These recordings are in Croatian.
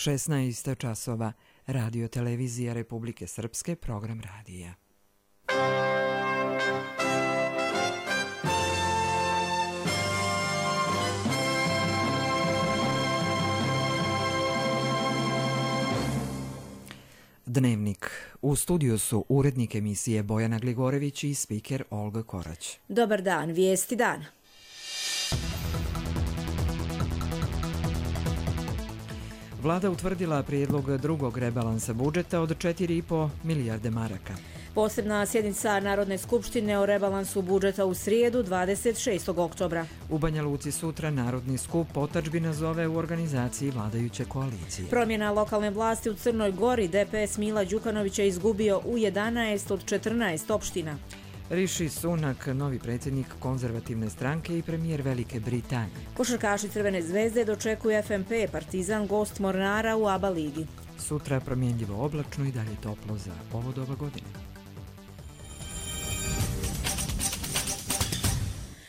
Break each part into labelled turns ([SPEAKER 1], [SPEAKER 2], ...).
[SPEAKER 1] 16 časova, Radio Televizija Republike Srpske, program radija. Dnevnik. U studiju su urednik emisije Bojana Gligorević i spiker Olga Korać.
[SPEAKER 2] Dobar dan, vijesti dana.
[SPEAKER 1] Vlada utvrdila prijedlog drugog rebalansa budžeta od 4,5 milijarde maraka.
[SPEAKER 2] Posebna sjednica Narodne skupštine o rebalansu budžeta u srijedu 26. oktobra.
[SPEAKER 1] U Banja Luci sutra Narodni skup otadžbina zove u organizaciji vladajuće koalicije.
[SPEAKER 2] Promjena lokalne vlasti u Crnoj Gori, DPS Mila Đukanović je izgubio u 11 od 14 opština.
[SPEAKER 1] Rishi Sunak, novi predsjednik konzervativne stranke i premijer Velike Britanije.
[SPEAKER 2] Košarkaši Crvene zvezde dočekuju FNP, Partizan gost Mornara u ABA ligi.
[SPEAKER 1] Sutra promjenljivo oblačno i dalje toplo za ovo doba godine.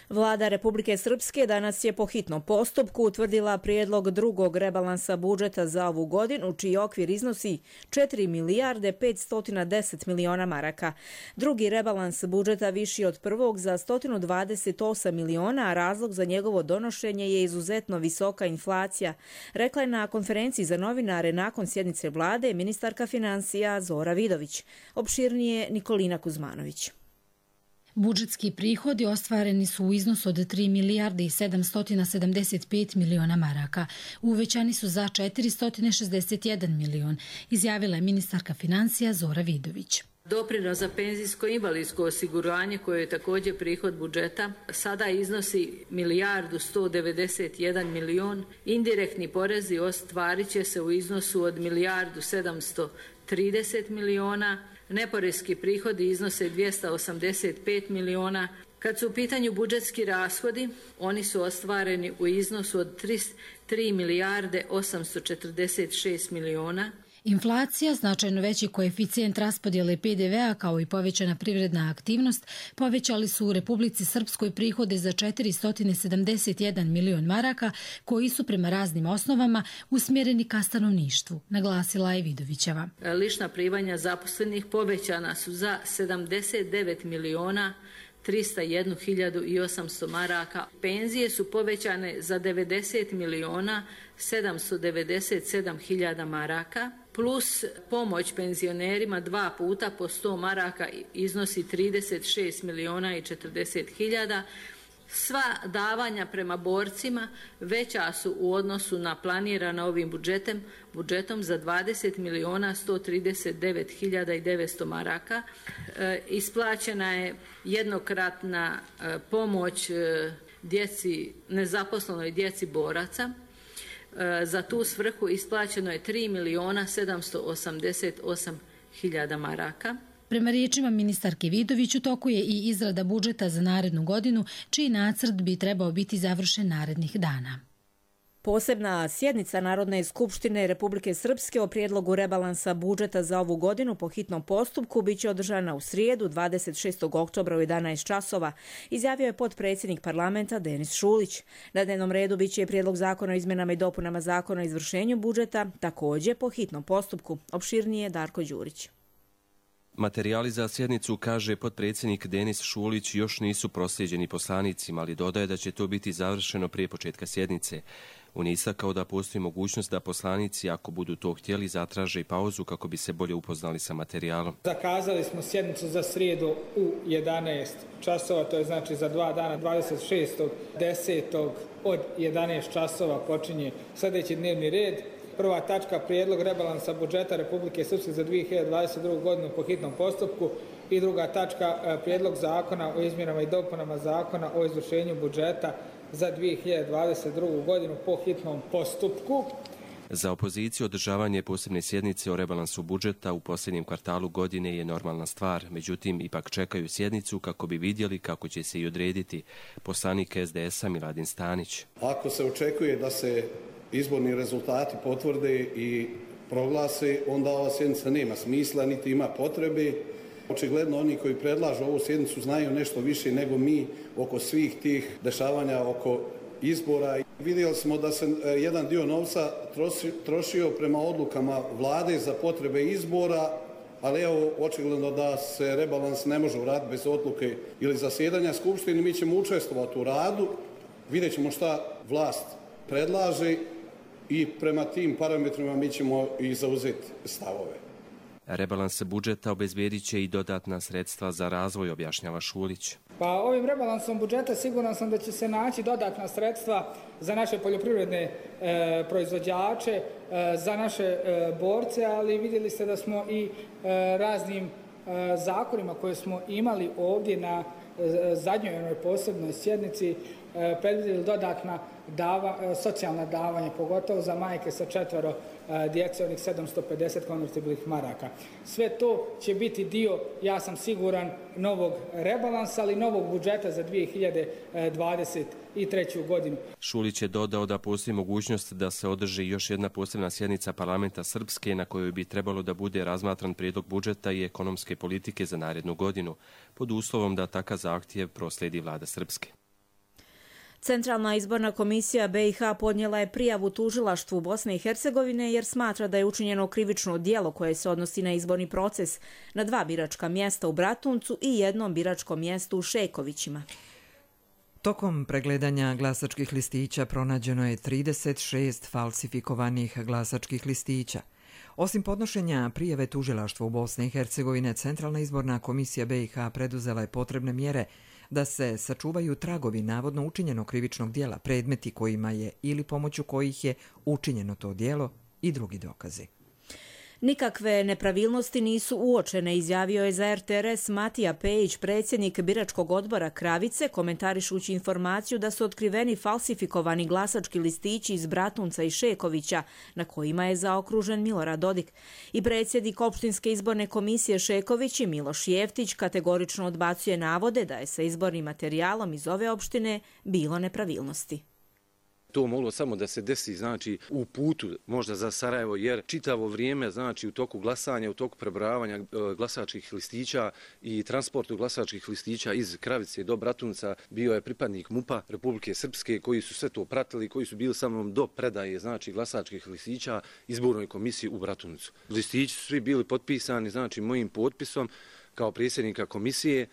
[SPEAKER 2] Vlada Republike Srpske danas je po hitnom postupku utvrdila prijedlog drugog rebalansa budžeta za ovu godinu, čiji okvir iznosi 4 milijarde 510 miliona maraka. Drugi rebalans budžeta viši od prvog za 128 miliona, a razlog za njegovo donošenje je izuzetno visoka inflacija, rekla je na konferenciji za novinare nakon sjednice vlade ministarka financija Zora Vidović. Opširnije Nikolina Kuzmanović.
[SPEAKER 3] Budžetski prihodi ostvareni su u iznosu od 3 milijarde i 775 miliona maraka. Uvećani su za 461 milion, izjavila je ministarka financija Zora Vidović.
[SPEAKER 4] Doprinos za penzijsko i invalidsko osiguranje, koje je također prihod budžeta, sada iznosi milijardu 191 milion. Indirektni porezi ostvarit će se u iznosu od milijardu 730 miliona. Neporeski prihodi iznose 285 miliona. Kad su u pitanju budžetski rashodi, oni su ostvareni u iznosu od 3 milijarde 846 miliona.
[SPEAKER 3] Inflacija, značajno veći koeficijent raspodjele PDV-a kao i povećana privredna aktivnost povećali su u Republici Srpskoj prihode za 471 milion maraka koji su prema raznim osnovama usmjereni ka stanovništvu, naglasila je Vidovićeva.
[SPEAKER 4] Lična primanja zaposlenih povećana su za 79 miliona 301.800 maraka. Penzije su povećane za 90 miliona 797.000 maraka, plus pomoć penzionerima 2 puta po 100 maraka iznosi 36 miliona i 40.000. Sva davanja prema borcima veća su u odnosu na planirana ovim budžetom za 20 miliona 139.900 maraka. Isplaćena je jednokratna pomoć nezaposlenoj djeci boraca. Za tu svrhu isplaćeno je 3 miliona 788.000 maraka.
[SPEAKER 3] Prema riječima ministarke Vidović, u toku je i izrada budžeta za narednu godinu, čiji nacrt bi trebao biti završen narednih dana.
[SPEAKER 2] Posebna sjednica Narodne skupštine Republike Srpske o prijedlogu rebalansa budžeta za ovu godinu po hitnom postupku biće održana u srijedu 26. oktobra u 11 časova, izjavio je potpredsjednik parlamenta Denis Šulić. Na dnevnom redu biće prijedlog zakona o izmjenama i dopunama zakona o izvršenju budžeta, također po hitnom postupku. Opširnije Darko Đurić.
[SPEAKER 5] Materijali za sjednicu, kaže potpredsjednik Denis Šulić, još nisu proslijeđeni poslanicima, ali dodaje da će to biti završeno prije početka sjednice. On je istakao da postoji mogućnost da poslanici, ako budu to htjeli, zatraže i pauzu kako bi se bolje upoznali sa materijalom.
[SPEAKER 6] Zakazali smo sjednicu za srijedu u 11 časova, to je znači za 2 dana, 26.10. od 11 časova počinje sljedeći dnevni red. Prva tačka, prijedlog rebalansa budžeta Republike Srpske za 2022. godinu po hitnom postupku, i druga tačka, prijedlog zakona o izmjenama i dopunama zakona o izvršenju budžeta za 2022. godinu po hitnom postupku.
[SPEAKER 5] Za opoziciju održavanje posebne sjednice o rebalansu budžeta u posljednjem kvartalu godine je normalna stvar, međutim ipak čekaju sjednicu kako bi vidjeli kako će se i odrediti. Poslanik SDS-a Miladin Stanić.
[SPEAKER 7] Ako se očekuje da se izborni rezultati potvrde i proglase, onda ova sjednica nema smisla, niti ima potrebe. Očigledno oni koji predlažu ovu sjednicu znaju nešto više nego mi oko svih tih dešavanja oko izbora. Vidjeli smo da se jedan dio novca trošio prema odlukama vlade za potrebe izbora, ali evo očigledno da se rebalans ne može uraditi bez odluke ili zasjedanja Skupštine. Mi ćemo učestvovati u radu, vidjet ćemo šta vlast predlaže i prema tim parametrima mi ćemo i zauzeti stavove.
[SPEAKER 5] Rebalans budžeta obezbedit će i dodatna sredstva za razvoj, objašnjava Šulić.
[SPEAKER 6] Pa ovim rebalansom budžeta siguran sam da će se naći dodatna sredstva za naše poljoprivredne proizvođače, za naše borce, ali vidjeli ste da smo i raznim zakonima koje smo imali ovdje na zadnjoj onoj posebnoj sjednici predvidjeli dodatna socijalna davanja, pogotovo za majke sa 4 djece, onih 750 konvertibilnih maraka. Sve to će biti dio, ja sam siguran, novog rebalansa, ali novog budžeta za 2023. godinu.
[SPEAKER 5] Šulić je dodao da postoji mogućnost da se održi još jedna posebna sjednica parlamenta Srpske na kojoj bi trebalo da bude razmatran prijedlog budžeta i ekonomske politike za narednu godinu, pod uslovom da takav zahtjev proslijedi vlada Srpske.
[SPEAKER 2] Centralna izborna komisija BiH podnijela je prijavu tužilaštvu Bosne i Hercegovine jer smatra da je učinjeno krivično djelo koje se odnosi na izborni proces na 2 biračka mjesta u Bratuncu i 1 biračkom mjestu u Šekovićima.
[SPEAKER 1] Tokom pregledanja glasačkih listića pronađeno je 36 falsifikovanih glasačkih listića. Osim podnošenja prijave tužilaštvu Bosne i Hercegovine, Centralna izborna komisija BiH preduzela je potrebne mjere da se sačuvaju tragovi navodno učinjenog krivičnog djela, predmeti kojima je ili pomoću kojih je učinjeno to djelo i drugi dokazi.
[SPEAKER 2] Nikakve nepravilnosti nisu uočene, izjavio je za RTRS Matija Pejić, predsjednik biračkog odbora Kravice, komentarišući informaciju da su otkriveni falsifikovani glasački listići iz Bratunca i Šekovića, na kojima je zaokružen Milorad Dodik. I predsjednik opštinske izborne komisije Šeković i Miloš Jeftić kategorično odbacuje navode da je sa izbornim materijalom iz ove opštine bilo nepravilnosti.
[SPEAKER 8] To moglo samo da se desi, znači, u putu možda za Sarajevo, jer čitavo vrijeme, znači, u toku glasanja, u toku prebrojavanja glasačkih listića i transportu glasačkih listića iz Kravice do Bratunca bio je pripadnik MUP-a Republike Srpske koji su sve to pratili, koji su bili sa mnom do predaje, znači, glasačkih listića izbornoj komisiji u Bratuncu. Listići su svi bili potpisani, znači, mojim potpisom kao predsjednika komisije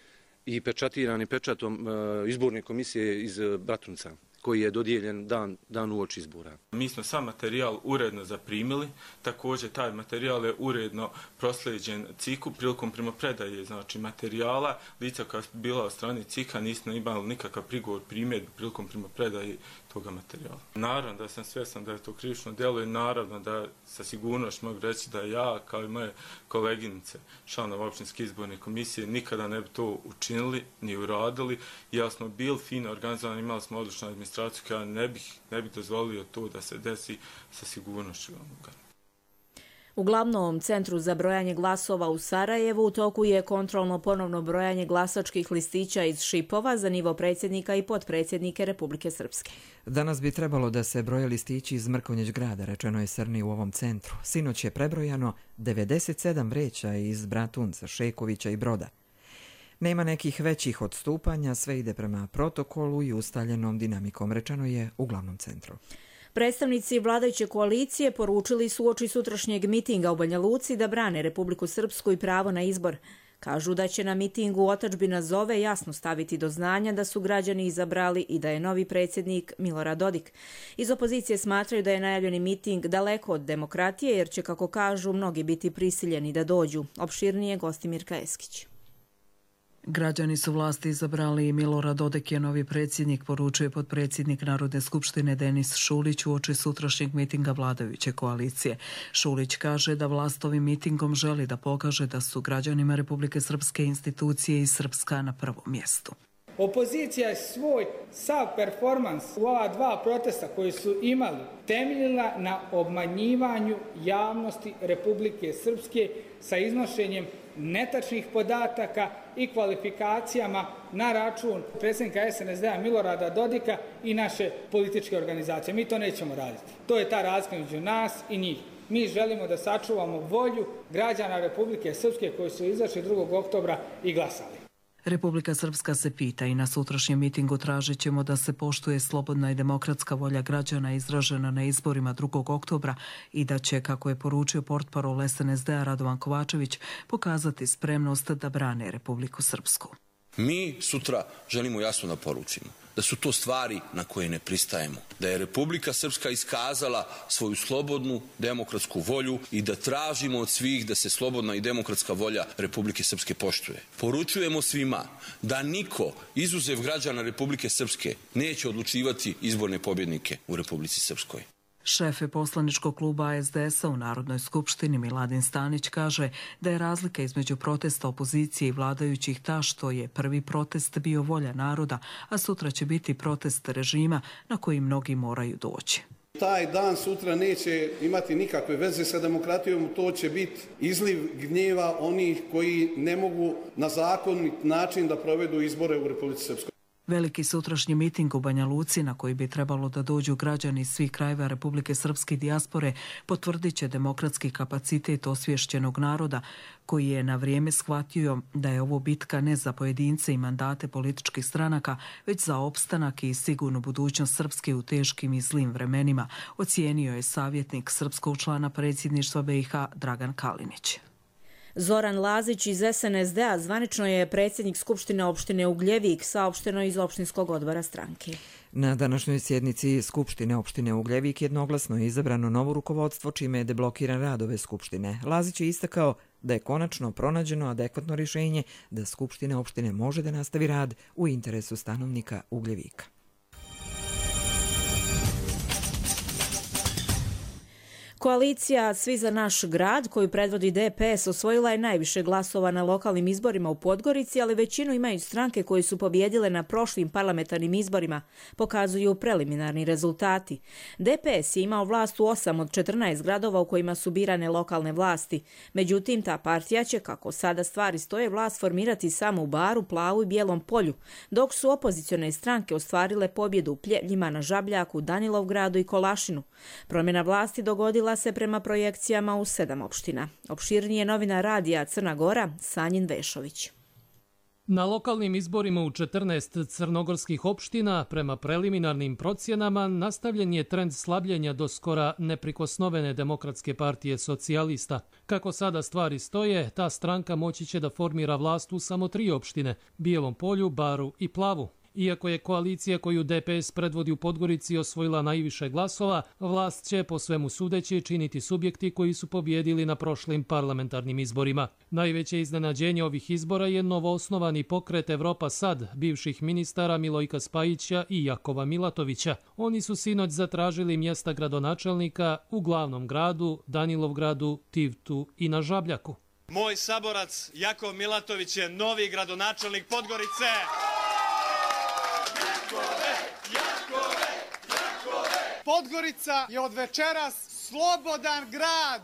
[SPEAKER 8] i pečatirani pečatom izborne komisije iz Bratunca, koji je dodijeljen dan uoči izbora.
[SPEAKER 9] Mi smo sam materijal uredno zaprimili, također taj materijal je uredno proslijeđen CIK-u prilikom primopredaje, znači materijala. Lica koja su bila od strane CIK-a nismo imali nikakav prigovor, primjedbu prilikom primopredaje toga materijala. Naravno da sam svjestan da je to krivično djelo i naravno da sa sigurnošću mogu reći da ja kao i moje koleginice, članove opštinske izborne komisije, nikada ne bi to učinili ni uradili. Ja smo bili fino organizovani, imali smo odličnu administraciju koja ne bih dozvolio to da se desi sa sigurnošću.
[SPEAKER 2] U glavnom centru za brojanje glasova u Sarajevu u toku je kontrolno ponovno brojanje glasačkih listića iz Šipova za nivo predsjednika i potpredsjednike Republike Srpske.
[SPEAKER 1] Danas bi trebalo da se broje listići iz Mrkonjić grada, rečeno je Srni u ovom centru. Sinoć je prebrojano 97 vreća iz Bratunca, Šekovića i Broda. Nema nekih većih odstupanja, sve ide prema protokolu i ustaljenom dinamikom, rečeno je u glavnom centru.
[SPEAKER 2] Predstavnici vladajuće koalicije poručili su uoči sutrašnjeg mitinga u Banja Luci da brane Republiku Srpsku i pravo na izbor. Kažu da će na mitingu otadžbina zove jasno staviti do znanja da su građani izabrali i da je novi predsjednik Milorad Dodik. Iz opozicije smatraju da je najavljeni miting daleko od demokratije jer će, kako kažu, mnogi biti prisiljeni da dođu. Opširnije Gostimirka Eskić.
[SPEAKER 10] Građani su vlasti izabrali i Milorad Dodik je novi predsjednik, poručuje potpredsjednik Narodne skupštine Denis Šulić uoči sutrašnjeg mitinga vladajuće koalicije. Šulić kaže da vlast ovim mitingom želi da pokaže da su građanima Republike Srpske institucije i Srpska na prvom mjestu.
[SPEAKER 6] Opozicija je svoj sav performans u ova 2 protesta koji su imali temeljila na obmanjivanju javnosti Republike Srpske sa iznošenjem netačnih podataka i kvalifikacijama na račun predsjednika SNSD-a Milorada Dodika i naše političke organizacije. Mi to nećemo raditi. To je ta razlika među nas i njih. Mi želimo da sačuvamo volju građana Republike Srpske koji su izašli 2. oktobra i glasali.
[SPEAKER 10] Republika Srpska se pita i na sutrašnjem mitingu tražit ćemo da se poštuje slobodna i demokratska volja građana izražena na izborima 2. oktobra i da će, kako je poručio portparol SNSD-a Radovan Kovačević, pokazati spremnost da brane Republiku Srpsku.
[SPEAKER 11] Mi sutra želimo jasno da poručimo da su to stvari na koje ne pristajemo, da je Republika Srpska iskazala svoju slobodnu demokratsku volju i da tražimo od svih da se slobodna i demokratska volja Republike Srpske poštuje. Poručujemo svima da niko, izuzev građana Republike Srpske, neće odlučivati izborne pobjednike u Republici Srpskoj.
[SPEAKER 10] Šef poslaničkog kluba SDS-a u Narodnoj skupštini Miladin Stanić kaže da je razlika između protesta opozicije i vladajućih ta što je prvi protest bio volja naroda, a sutra će biti protest režima na koji mnogi moraju doći.
[SPEAKER 7] Taj dan sutra neće imati nikakve veze sa demokratijom, to će biti izliv gnjeva onih koji ne mogu na zakonit način da provedu izbore u Republici Srpskoj.
[SPEAKER 10] Veliki sutrašnji miting u Banja Luci, na koji bi trebalo da dođu građani iz svih krajeva Republike Srpske dijaspore, potvrdit će demokratski kapacitet osvješćenog naroda, koji je na vrijeme shvatio da je ovo bitka ne za pojedince i mandate političkih stranaka, već za opstanak i sigurnu budućnost Srpske u teškim i zlim vremenima, ocijenio je savjetnik srpskog člana predsjedništva BiH Dragan Kalinić.
[SPEAKER 2] Zoran Lazić iz SNSD-a zvanično je predsjednik Skupštine opštine Ugljevik, saopšteno iz opštinskog odbora stranke.
[SPEAKER 1] Na današnjoj sjednici Skupštine opštine Ugljevik jednoglasno je izabrano novo rukovodstvo, čime je deblokiran rad ove Skupštine. Lazić je istakao da je konačno pronađeno adekvatno rješenje da Skupština opštine može da nastavi rad u interesu stanovnika Ugljevika.
[SPEAKER 2] Koalicija Svi za naš grad, koju predvodi DPS, osvojila je najviše glasova na lokalnim izborima u Podgorici, ali većinu imaju stranke koje su pobjedile na prošlim parlamentarnim izborima, pokazuju preliminarni rezultati. DPS je imao vlast u 8 od 14 gradova u kojima su birane lokalne vlasti. Međutim, ta partija će, kako sada stvari stoje, vlast formirati samo u Baru, Plavu i Bijelom Polju, dok su opozicione stranke ostvarile pobjedu u Pljevljima, na Žabljaku, Danilovgradu i Kolašinu. Promjena vlasti dogodila se prema projekcijama u 7 opština. Opširnije novinar radija Crna Gora, Sanjin Vešović.
[SPEAKER 12] Na lokalnim izborima u 14 crnogorskih opština, prema preliminarnim procjenama, nastavljen je trend slabljenja do skora neprikosnovene Demokratske partije socijalista. Kako sada stvari stoje, ta stranka moći će da formira vlast u samo 3 opštine, Bijelom Polju, Baru i Plavu. Iako je koalicija koju DPS predvodi u Podgorici osvojila najviše glasova, vlast će po svemu sudeći činiti subjekti koji su pobjedili na prošlim parlamentarnim izborima. Najveće iznenađenje ovih izbora je novoosnovani pokret Evropa Sad, bivših ministara Milojka Spajića i Jakova Milatovića. Oni su sinoć zatražili mjesta gradonačelnika u glavnom gradu, Danilovgradu, Tivtu i na Žabljaku.
[SPEAKER 13] Moj saborac Jakov Milatović je novi gradonačelnik Podgorice.
[SPEAKER 14] Podgorica je od večeras slobodan grad.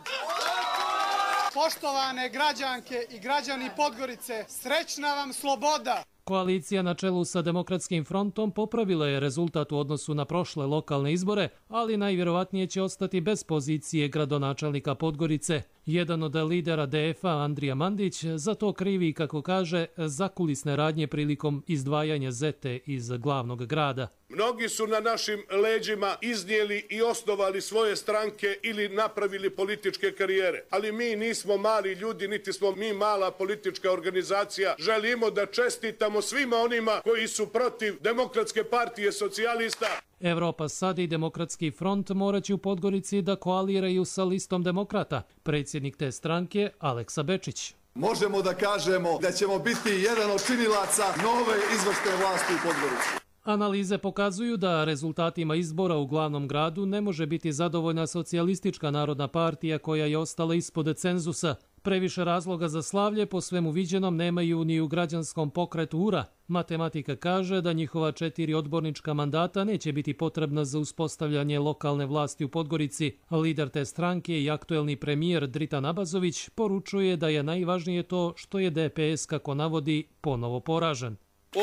[SPEAKER 14] Poštovane građanke i građani Podgorice, srećna vam sloboda!
[SPEAKER 12] Koalicija na čelu sa Demokratskim frontom popravila je rezultat u odnosu na prošle lokalne izbore, ali najvjerovatnije će ostati bez pozicije gradonačelnika Podgorice. Jedan od lidera DF-a, Andrija Mandić, za to krivi, kako kaže, zakulisne radnje prilikom izdvajanja Zete iz glavnog grada.
[SPEAKER 15] Mnogi su na našim leđima iznijeli i osnovali svoje stranke ili napravili političke karijere. Ali mi nismo mali ljudi, niti smo mi mala politička organizacija. Želimo da čestitamo svima onima koji su protiv Demokratske partije socijalista.
[SPEAKER 12] Evropa Sad i Demokratski front morat će u Podgorici da koaliraju sa listom demokrata. Predsjednik te stranke, Aleksa Bečić.
[SPEAKER 16] Možemo da kažemo da ćemo biti jedan od činilaca nove izvršne vlasti u Podgorici.
[SPEAKER 12] Analize pokazuju da rezultatima izbora u glavnom gradu ne može biti zadovoljna Socijalistička narodna partija koja je ostala ispod cenzusa. Previše razloga za slavlje po svemu viđenom nemaju ni u građanskom pokretu URA. Matematika kaže da njihova 4 odbornička mandata neće biti potrebna za uspostavljanje lokalne vlasti u Podgorici. Lider te stranke i aktuelni premijer Dritan Abazović poručuje da je najvažnije to što je DPS, kako navodi, ponovo poražen.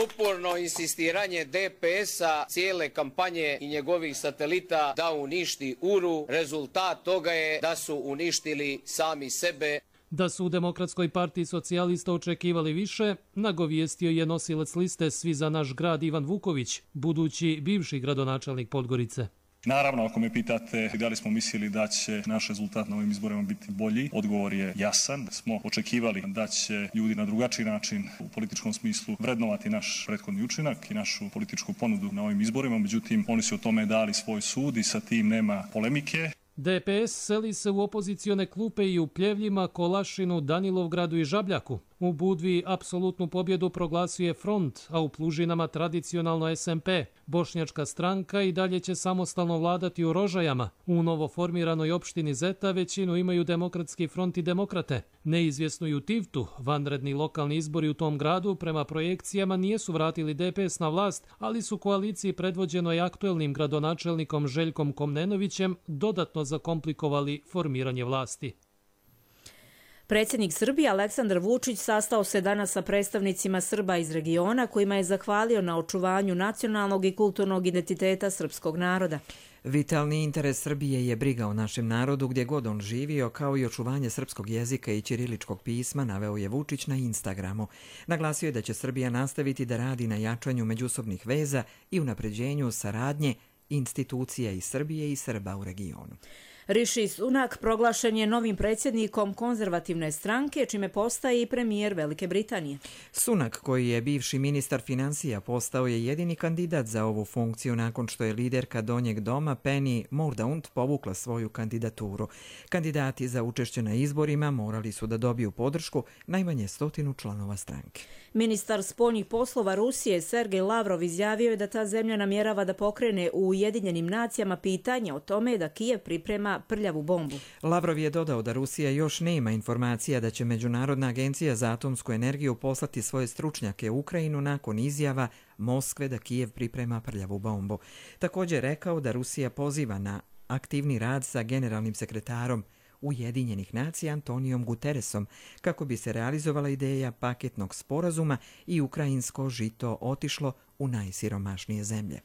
[SPEAKER 17] Uporno insistiranje DPS-a, cijele kampanje i njegovih satelita da uništi URU, rezultat toga je da su uništili sami sebe.
[SPEAKER 12] Da su u Demokratskoj partiji socijalista očekivali više, nagovijestio je nosilac liste Svi za naš grad Ivan Vuković, budući bivši gradonačelnik Podgorice.
[SPEAKER 18] Naravno, ako me pitate da li smo mislili da će naš rezultat na ovim izborima biti bolji, odgovor je jasan. Smo očekivali da će ljudi na drugačiji način u političkom smislu vrednovati naš prethodni učinak i našu političku ponudu na ovim izborima, međutim oni su o tome dali svoj sud i sa tim nema polemike.
[SPEAKER 12] DPS seli se u opozicione klupe i u Pljevljima, Kolašinu, Danilovgradu i Žabljaku. U Budvi apsolutnu pobjedu proglasio je Front, a u Plužinama tradicionalno SMP. Bošnjačka stranka i dalje će samostalno vladati u Rožajama. U novoformiranoj opštini Zeta većinu imaju Demokratski front i Demokrate. Neizvjesno i u Tivtu, vanredni lokalni izbori u tom gradu prema projekcijama nijesu vratili DPS na vlast, ali su koaliciji predvođenoj aktuelnim gradonačelnikom Željkom Komnenovićem dodatno zakomplikovali formiranje vlasti.
[SPEAKER 2] Predsjednik Srbije Aleksandar Vučić sastao se danas sa predstavnicima Srba iz regiona kojima je zahvalio na očuvanju nacionalnog i kulturnog identiteta srpskog naroda.
[SPEAKER 1] Vitalni interes Srbije je briga o našem narodu gdje god on živio, kao i očuvanje srpskog jezika i ćiriličkog pisma, naveo je Vučić na Instagramu. Naglasio je da će Srbija nastaviti da radi na jačanju međusobnih veza i unapređenju saradnje institucija i Srbije i Srba u regionu.
[SPEAKER 2] Rishi Sunak proglašen je novim predsjednikom konzervativne stranke, čime postaje i premijer Velike Britanije.
[SPEAKER 1] Sunak, koji je bivši ministar financija, postao je jedini kandidat za ovu funkciju nakon što je liderka Donjeg doma Penny Mordaunt povukla svoju kandidaturu. Kandidati za učešće na izborima morali su da dobiju podršku najmanje 100 članova stranke.
[SPEAKER 2] Ministar spoljnih poslova Rusije Sergej Lavrov izjavio je da ta zemlja namjerava da pokrene u Ujedinjenim nacijama pitanje o tome da Kijev priprema prljavu bombu.
[SPEAKER 1] Lavrov je dodao da Rusija još nema informacija da će Međunarodna agencija za atomsku energiju poslati svoje stručnjake u Ukrajinu nakon izjava Moskve da Kijev priprema prljavu bombu. Također rekao da Rusija poziva na aktivni rad sa generalnim sekretarom Ujedinjenih nacija Antonijom Guterresom kako bi se realizovala ideja paketnog sporazuma i ukrajinsko žito otišlo u najsiromašnije zemlje.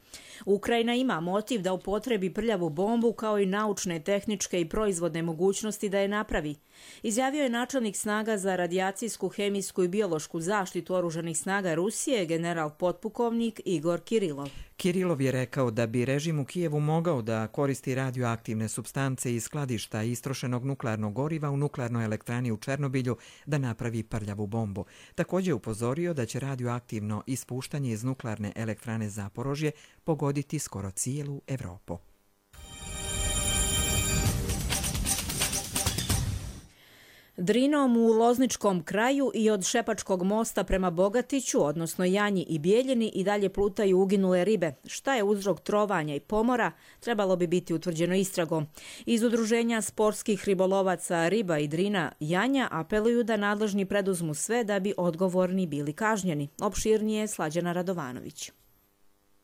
[SPEAKER 2] Ukrajina ima motiv da upotrebi prljavu bombu kao i naučne, tehničke i proizvodne mogućnosti da je napravi. Izjavio je načelnik snaga za radijacijsku, hemijsku i biološku zaštitu oružanih snaga Rusije, general potpukovnik Igor Kirilov.
[SPEAKER 1] Kirilov je rekao da bi režim u Kijevu mogao da koristi radioaktivne supstance iz skladišta istrošenog nuklearnog goriva u nuklearnoj elektrani u Černobilju da napravi prljavu bombu. Također upozorio da će radioaktivno ispuštanje iz nuklearne elektrane Zaporožje pogoditi skoro cijelu Evropu.
[SPEAKER 2] Drinom u Lozničkom kraju i od Šepačkog mosta prema Bogatiću, odnosno Janji i Bijeljini, i dalje plutaju uginule ribe. Šta je uzrok trovanja i pomora, trebalo bi biti utvrđeno istragom. Iz Udruženja sportskih ribolovaca Riba i Drina Janja apeluju da nadležni preduzmu sve da bi odgovorni bili kažnjeni. Opširnije Slađana Radovanović.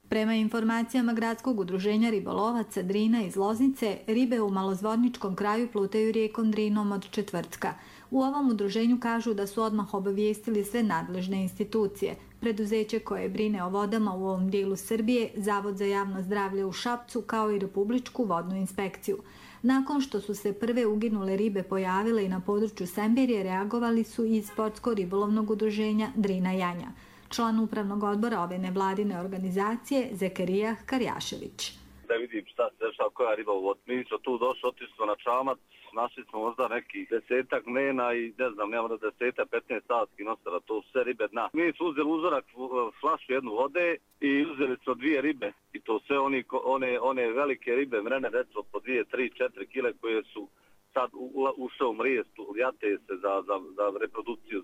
[SPEAKER 19] Prema informacijama Gradskog udruženja ribolovaca Drina iz Loznice, ribe u Malozvorničkom kraju plutaju rijekom Drinom od četvrtka. U ovom udruženju kažu da su odmah obavijestili sve nadležne institucije, preduzeće koje brine o vodama u ovom dijelu Srbije, Zavod za javno zdravlje u Šapcu, kao i Republičku vodnu inspekciju. Nakon što su se prve uginule ribe pojavile i na području Semberije, reagovali su iz Sportsko-ribolovnog udruženja Drina Janja. Član upravnog odbora ove nevladine organizacije Zekarija Karjašević.
[SPEAKER 20] Da vidim šta koja riba u vodi. Mi smo tu došli, otišli na čamac, našli smo možda neki 10 mena i ne znam, nema da 10-15 stavskih nosara, to su sve ribe dna. Mi smo uzeli uzorak, flašu jednu vode i uzeli smo 2 ribe. I to sve one velike ribe, mrene, recimo po 2, 3, 4 kile koje su sad ušao u mrijest, jate se za reprodukciju.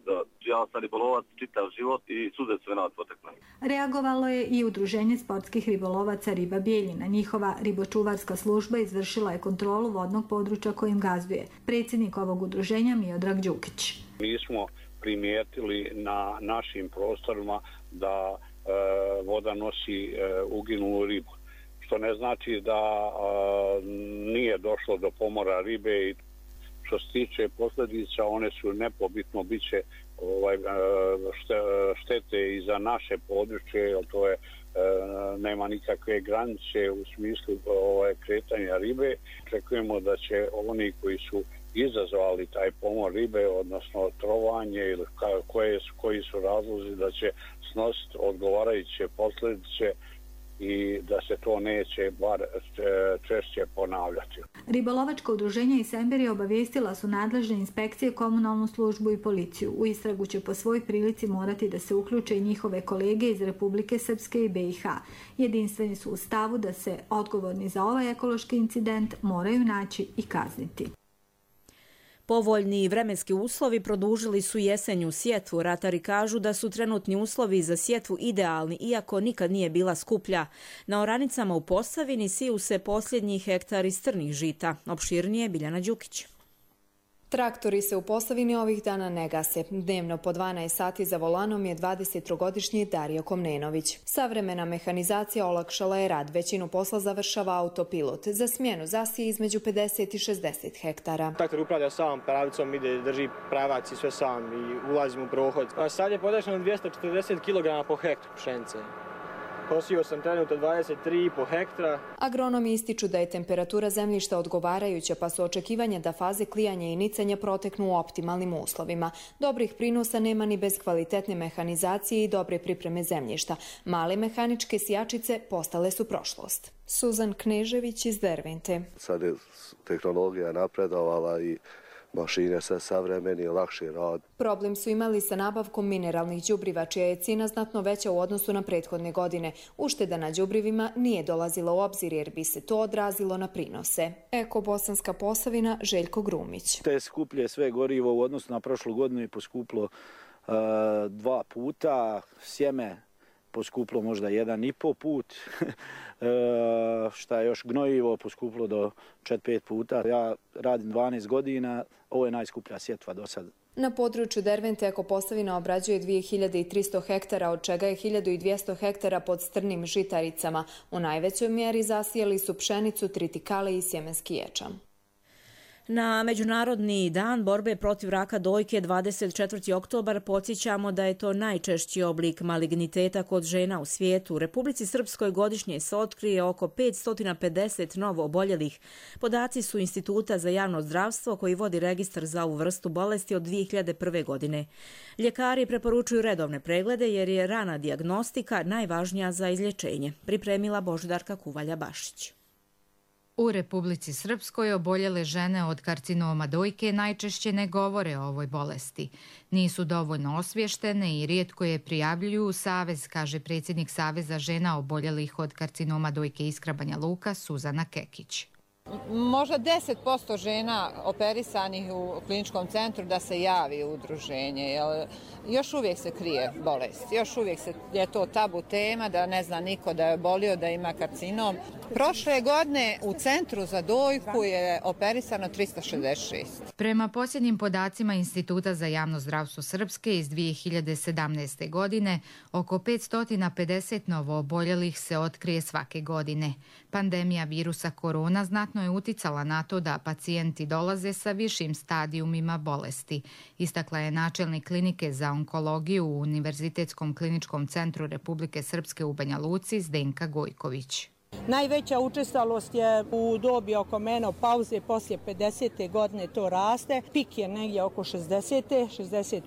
[SPEAKER 20] Ja sam ribolovac čitav život i suze sve nas potekle.
[SPEAKER 19] Reagovalo je i Udruženje sportskih ribolovaca Riba Bijeljina. Njihova ribočuvarska služba izvršila je kontrolu vodnog područja kojim gazduje. Predsjednik ovog udruženja Miodrag Đukić.
[SPEAKER 21] Mi smo primijetili na našim prostorima da voda nosi uginulu ribu. Što ne znači da nije došlo do pomora ribe i što se tiče posljedica, one su nepobitno biće štete i za naše područje, jer to je nema nikakve granice u smislu kretanja ribe. Očekujemo da će oni koji su izazvali taj pomor ribe, odnosno trovanje ili koji su razlozi da će snositi odgovarajuće posljedice i da se to neće bar češće ponavljati.
[SPEAKER 19] Ribolovačka udruženja iz Semberija obavijestila su nadležne inspekcije, komunalnu službu i policiju. U istragu će po svoj prilici morati da se uključe i njihove kolege iz Republike Srpske i BiH. Jedinstveni su u stavu da se odgovorni za ovaj ekološki incident moraju naći i kazniti.
[SPEAKER 2] Povoljni vremenski uslovi produžili su jesenju sjetvu. Ratari kažu da su trenutni uslovi za sjetvu idealni, iako nikad nije bila skuplja. Na oranicama u Posavini siju se posljednji hektari strnih žita. Opširnije Biljana Đukić.
[SPEAKER 4] Traktori se u Posavini ovih dana ne gase. Dnevno po 12 sati za volanom je 23-godišnji Dario Komnenović. Savremena mehanizacija olakšala je rad. Većinu posla završava autopilot. Za smjenu zasije između 50 i 60 hektara.
[SPEAKER 22] Traktor upravlja sam pravicom, ide, drži pravac i sve sam i ulazim u prohod. A sad je podešeno 240 kg po hektru pšenice. Posio sam trenutno 23,5 hektara.
[SPEAKER 4] Agronomi ističu da je temperatura zemljišta odgovarajuća, pa su očekivanja da faze klijanja i nicanja proteknu u optimalnim uslovima. Dobrih prinosa nema ni bez kvalitetne mehanizacije i dobre pripreme zemljišta. Male mehaničke sijačice postale su prošlost. Suzan Knežević iz Dervente.
[SPEAKER 23] Sad je tehnologija napredovala i mašine sve savremeni, lakši rad.
[SPEAKER 4] Problem su imali sa nabavkom mineralnih đubriva, čija je cijena znatno veća u odnosu na prethodne godine. Ušteda na đubrivima nije dolazila u obzir jer bi se to odrazilo na prinose. Eko Bosanska Posavina, Željko Grumić.
[SPEAKER 24] Te skuplje sve gorivo u odnosu na prošlu godinu je poskuplo 2 puta, sjeme poskuplo možda 1,5 put, šta je još gnojivo poskuplo do 4-5 puta. Ja radim 12 godina, ovo je najskuplja sjetva do sada.
[SPEAKER 4] Na području Dervente Eko Posavina obrađuje 2300 hektara, od čega je 1200 hektara pod strnim žitaricama. U najvećoj mjeri zasijali su pšenicu, tritikale i sjemenski ječam.
[SPEAKER 2] Na Međunarodni dan borbe protiv raka dojke 24. oktobar podsjećamo da je to najčešći oblik maligniteta kod žena u svijetu. U Republici Srpskoj godišnje se otkrije oko 550 novo oboljelih. Podaci su Instituta za javno zdravstvo koji vodi registar za ovu vrstu bolesti od 2001. godine. Ljekari preporučuju redovne preglede jer je rana dijagnostika najvažnija za izlječenje. Pripremila Božidarka Kuvalja-Bašić.
[SPEAKER 25] U Republici Srpskoj oboljele žene od karcinoma dojke najčešće ne govore o ovoj bolesti. Nisu dovoljno osvještene i rijetko je prijavljuju u Savez, kaže predsjednik Saveza žena oboljelih od karcinoma dojke Iskra Banja Luka, Suzana Kekić.
[SPEAKER 26] Možda 10% žena operisanih u kliničkom centru da se javi u udruženje, jer još uvijek se krije bolest. Još uvijek je to tabu tema, da ne zna niko da je obolio, da ima karcinom. Prošle godine u centru za dojku je operisano 366.
[SPEAKER 25] Prema posljednjim podacima Instituta za javno zdravstvo Srpske iz 2017. godine, oko 550 novo oboljelih se otkrije svake godine. Pandemija virusa korona znatno je uticala na to da pacijenti dolaze sa višim stadijumima bolesti, istakla je načelnik klinike za onkologiju u Univerzitetskom kliničkom centru Republike Srpske u Banja Luci Zdenka Gojković.
[SPEAKER 27] Najveća učestalost je u dobi oko menopauze, poslije 50. godine to raste. Pik je negdje oko 60.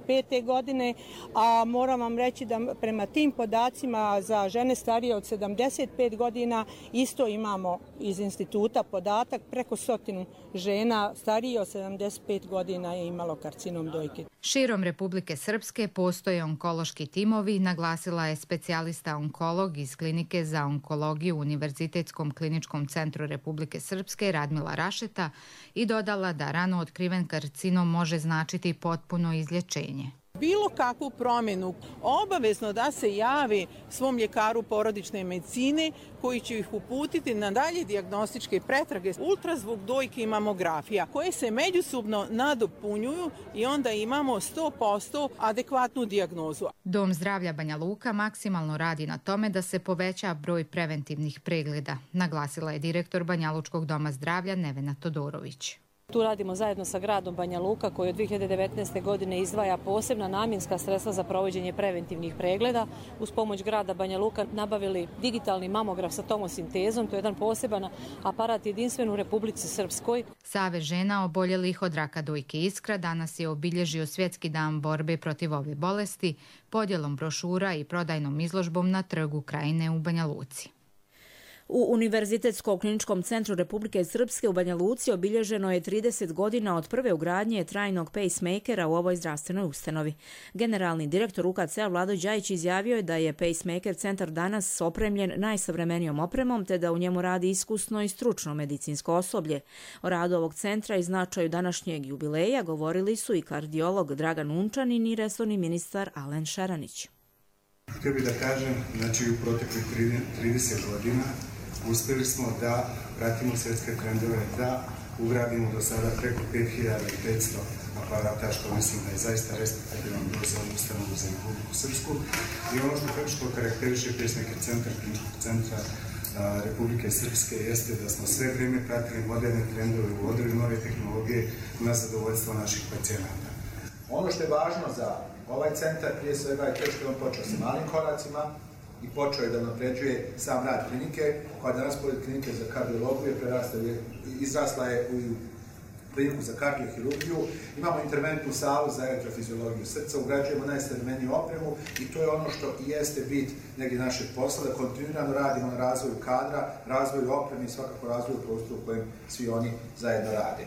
[SPEAKER 27] 65. godine, a moram vam reći da prema tim podacima za žene starije od 75 godina isto imamo iz instituta podatak, preko 100 žena starije od 75 godina je imalo karcinom dojke.
[SPEAKER 25] Širom Republike Srpske postoje onkološki timovi, naglasila je specijalista onkolog iz klinike za onkologiju u Univerzitetskom kliničkom centru Republike Srpske Radmila Rašeta i dodala da rano otkriven karcinom može značiti potpuno izlječenje.
[SPEAKER 27] Bilo kakvu promjenu obavezno da se javi svom ljekaru porodične medicine koji će ih uputiti na dalje dijagnostičke pretrage, ultrazvuk dojke i mamografija koje se međusobno nadopunjuju i onda imamo 100% adekvatnu dijagnozu.
[SPEAKER 25] Dom zdravlja Banja Luka maksimalno radi na tome da se poveća broj preventivnih pregleda, naglasila je direktor Banjalučkog doma zdravlja Nevena Todorović.
[SPEAKER 3] Tu radimo zajedno sa gradom Banja Luka koji od 2019. godine izdvaja posebna namjenska sredstva za provođenje preventivnih pregleda. Uz pomoć grada Banja Luka nabavili digitalni mamograf sa tomosintezom. To je jedan poseban aparat jedinstven u Republici Srpskoj.
[SPEAKER 25] Savez žena oboljelih od raka dojke Iskra danas je obilježio Svjetski dan borbe protiv ove bolesti podjelom brošura i prodajnom izložbom na Trgu Krajine u Banja Luci.
[SPEAKER 2] U Univerzitetskom kliničkom centru Republike Srpske u Banja Luci obilježeno je 30 godina od prve ugradnje trajnog pacemakera u ovoj zdravstvenoj ustanovi. Generalni direktor UKC-a Vlado Đajić izjavio je da je pacemaker centar danas opremljen najsavremenijom opremom te da u njemu radi iskusno i stručno medicinsko osoblje. O radu ovog centra i značaju današnjeg jubileja govorili su i kardiolog Dragan Unčanin i resorni ministar Alen Šaranić.
[SPEAKER 5] Htio bih da kažem, znači u proteklih 30 godina uspjeli smo da pratimo svjetske trendove, da ugradimo do sada preko 5500 aparata, što mislim da je zaista respektabilan broj za ustanovu za Republiku Srpsku. I ono što karakteriše pacemaker centar kliničkog centra Republike Srpske jeste da smo sve vrijeme pratili moderne trendove, uvodili nove tehnologije na zadovoljstvo naših pacijenata.
[SPEAKER 6] Ono što je važno za ovaj centar prije svega je to što je on počeo sa malim koracima i počeo je da napređuje sam rad klinike, koja danas pored klinike za kardiologiju izrasla je u kliniku za kardiohirurgiju. Imamo interventnu salu za elektrofiziologiju srca, ugrađujemo najsavremeniju opremu i to je ono što i jeste bit negdje našeg posla, da kontinuirano radimo na razvoju kadra, razvoju opreme i svakako razvoju prostoru u kojem svi oni zajedno rade.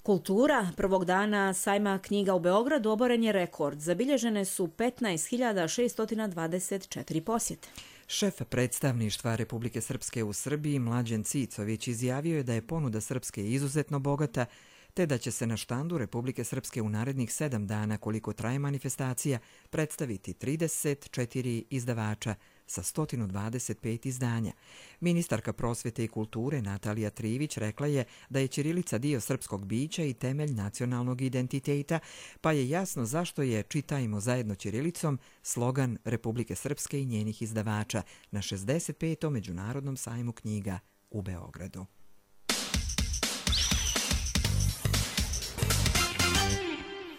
[SPEAKER 2] Kultura. Prvog dana sajma knjiga u Beogradu oboren je rekord. Zabilježene su 15.624 posjete.
[SPEAKER 1] Šef predstavništva Republike Srpske u Srbiji Mlađen Cicović izjavio je da je ponuda Srpske izuzetno bogata, te da će se na štandu Republike Srpske u narednih 7 dana, koliko traje manifestacija, predstaviti 34 izdavača sa 125 izdanja. Ministarka prosvete i kulture Natalija Trivić rekla je da je ćirilica dio srpskog bića i temelj nacionalnog identiteta, pa je jasno zašto je Čitajmo zajedno ćirilicom slogan Republike Srpske i njenih izdavača na 65. Međunarodnom sajmu knjiga u Beogradu.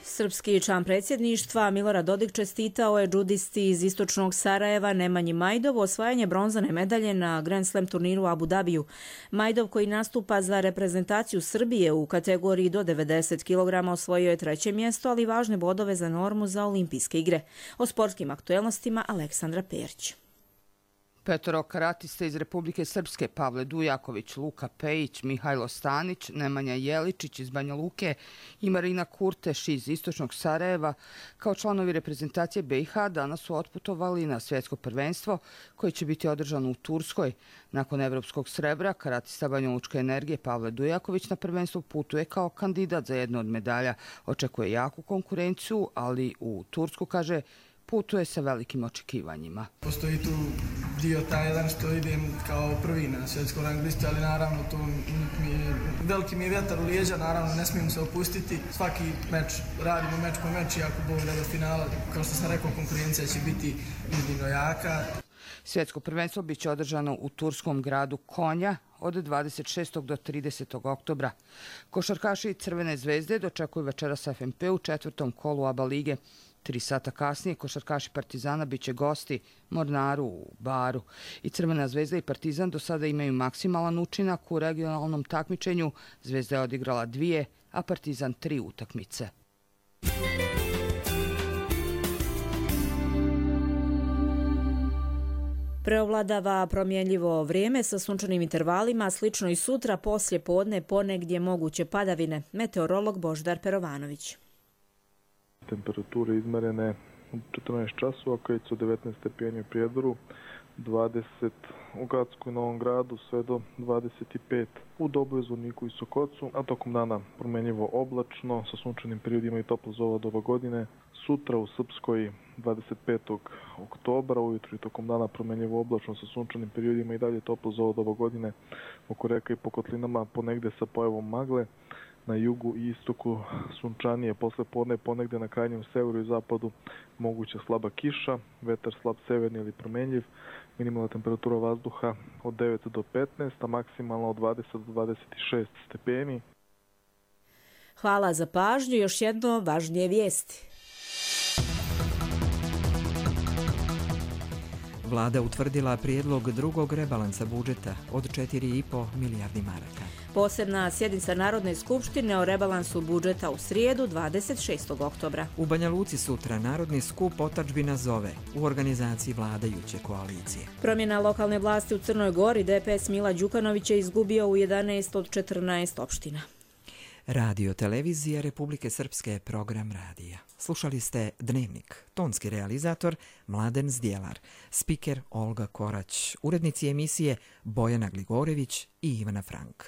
[SPEAKER 2] Srpski član predsjedništva Milorad Dodik čestitao je džudisti iz istočnog Sarajeva Nemanji Majdovu osvajanje bronzane medalje na Grand Slam turniru u Abu Dhabiju. Majdov, koji nastupa za reprezentaciju Srbije u kategoriji do 90 kg, osvojio je 3. mjesto, ali važne bodove za normu za olimpijske igre. O sportskim aktuelnostima Aleksandra Perić.
[SPEAKER 7] Petoro karatista iz Republike Srpske, Pavle Dujaković, Luka Pejić, Mihajlo Stanić, Nemanja Jeličić iz Banja Luke i Marina Kurteš iz istočnog Sarajeva, kao članovi reprezentacije BiH, danas su otputovali na svjetsko prvenstvo koje će biti održano u Turskoj. Nakon evropskog srebra, karatista banjalučke energije Pavle Dujaković na prvenstvo putuje kao kandidat za jednu od medalja. Očekuje jaku konkurenciju, ali u Tursku, kaže, putuje sa velikim očekivanjima.
[SPEAKER 8] Postoji tu dio taj jedan što idem kao prvi na svjetskom rang listi, ali naravno tu veliki mi je vjetar u lijeđa, naravno ne smijem se opustiti. Svaki meč radimo meč po meč i ako Bog da do finala, kao što sam rekao, konkurencija će biti iznimno jaka.
[SPEAKER 7] Svjetsko prvenstvo biće održano u turskom gradu Konja od 26. do 30. oktobra. Košarkaši Crvene zvezde dočekuju večeras FNP u 4. kolu ABA lige. 3 sata kasnije košarkaši Partizana biće gosti Mornaru u Baru. I Crvena zvezda i Partizan do sada imaju maksimalan učinak u regionalnom takmičenju. Zvezda je odigrala 2, a Partizan 3 utakmice.
[SPEAKER 2] Preovladava promjenljivo vrijeme sa sunčanim intervalima, slično i sutra poslje podne ponegdje moguće padavine. Meteorolog Božidar Perovanović.
[SPEAKER 9] Temperature izmerene u 14 časova, kad su 19 stepeni u Prijedoru, 20 u Gacku i Novom Gradu, sve do 25 u Doboju, Zvorniku i Sokocu, a tokom dana promjenjivo oblačno, sa sunčanim periodima i toplo za ova doba godine. Sutra u Srpskoj 25. oktobra, ujutru i tokom dana promjenjivo oblačno sa sunčanim periodima i dalje toplo za ova doba godine, oko reka i po kotlinama ponegde sa pojavom magle. Na jugu i istoku sunčanije, posle podne ponegde na krajnjem severu i zapadu moguća slaba kiša, vetar slab severni ili promenljiv, minimalna temperatura vazduha od 9 do 15, a maksimalna od 20 do 26 stepeni.
[SPEAKER 2] Hvala za pažnju, još jedno važnije vijesti.
[SPEAKER 1] Vlada utvrdila prijedlog drugog rebalansa budžeta od 4,5 milijardi maraka.
[SPEAKER 2] Posebna sjednica Narodne skupštine o rebalansu budžeta u srijedu 26. oktobra.
[SPEAKER 1] U Banja Luci sutra Narodni skup Otadžbina zove u organizaciji vladajuće koalicije.
[SPEAKER 2] Promjena lokalne vlasti u Crnoj Gori, DPS Mila Đukanović je izgubio u 11 od 14 opština.
[SPEAKER 1] Radio televizija Republike Srpske, program radija. Slušali ste Dnevnik, tonski realizator Mladen Zdjelar, spiker Olga Korać, urednici emisije Bojana Gligorević i Ivana Frank.